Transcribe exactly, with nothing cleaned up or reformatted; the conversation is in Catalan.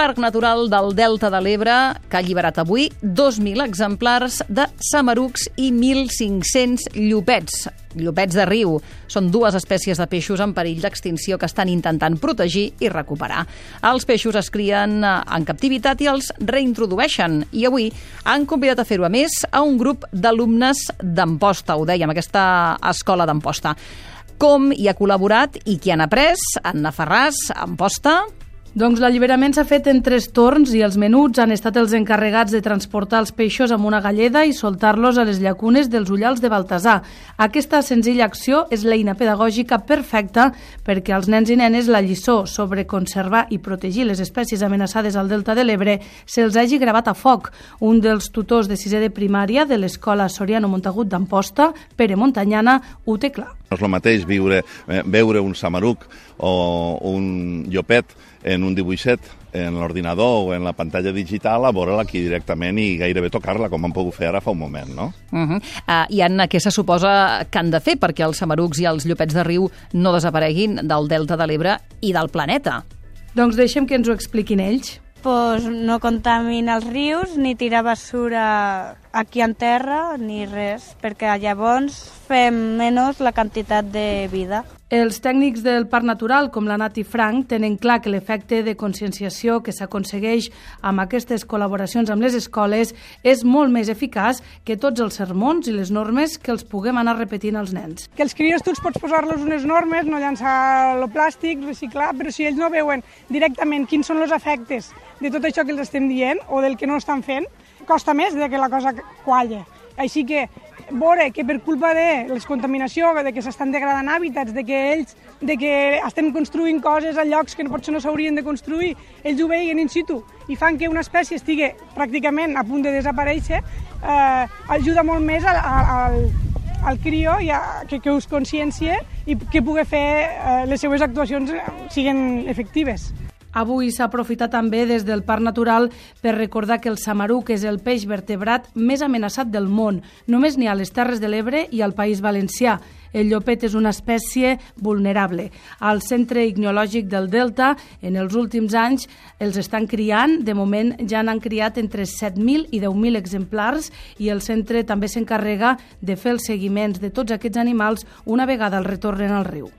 Parc Natural del Delta de l'Ebre, que ha alliberat avui dos mil exemplars de samarucs i mil cinc-cents llopets. Llopets de riu. Són dues espècies de peixos en perill d'extinció que estan intentant protegir i recuperar. Els peixos es crien en captivitat i els reintrodueixen. I avui han convidat a fer-ho, a més, a un grup d'alumnes d'Amposta, ho dèiem, aquesta escola d'Amposta. Com hi ha col·laborat i qui han après? Anna Ferràs, Amposta. Doncs l'alliberament s'ha fet en tres torns i els menuts han estat els encarregats de transportar els peixos amb una galleda i soltar-los a les llacunes dels ullals de Baltasar. Aquesta senzilla acció és l'eina pedagògica perfecta perquè als nens i nenes la lliçó sobre conservar i protegir les espècies amenaçades al Delta de l'Ebre se'ls hagi gravat a foc. Un dels tutors de sisè de primària de l'Escola Soriano Montagut d'Amposta, Pere Montanyana, ho té clar. No és el mateix viure, veure un samaruc o un llopet en un dibuixet, en l'ordinador o en la pantalla digital, a veure-la aquí directament i gairebé tocar-la, com han pogut fer ara fa un moment, no? Uh -huh. uh, I Anna, què se suposa que han de fer perquè els samarucs i els llopets de riu no desapareguin del Delta de l'Ebre i del planeta? Doncs deixem que ens ho expliquin ells. Pues no contaminar els rius, ni tirar basura aquí en terra, ni res, perquè llavors fem menys la quantitat de vida. Els tècnics del Parc Natural, com la Nati Frank, tenen clar que l'efecte de conscienciació que s'aconsegueix amb aquestes col·laboracions amb les escoles és molt més eficaç que tots els sermons i les normes que els puguem anar repetint als nens. Que els crios tots pots posar-los unes normes, no llançar el plàstic, reciclar, però si ells no veuen directament quins són els efectes de tot això que els estem dient o del que no estan fent, costa més de que la cosa qualle. Així que veure que per culpa de les contaminació, de que s'estan degradant hàbitats, de que ells, de que estem construint coses a llocs que potser no s'haurien de construir, ells ho veien in situ i fan que una espècie estigui pràcticament a punt de desaparèixer, eh, ajuda molt més al, al, al crió i a, que, que us consciencie i que pugui fer eh, les seues actuacions siguin efectives. Avui s'ha aprofitat també des del Parc Natural per recordar que el samaruc és el peix vertebrat més amenaçat del món. Només n'hi ha a les Terres de l'Ebre i al País Valencià. El llopet és una espècie vulnerable. Al Centre Ictiològic del Delta, en els últims anys, els estan criant. De moment ja n'han criat entre set mil i deu mil exemplars i el centre també s'encarrega de fer els seguiments de tots aquests animals una vegada els retornen al riu.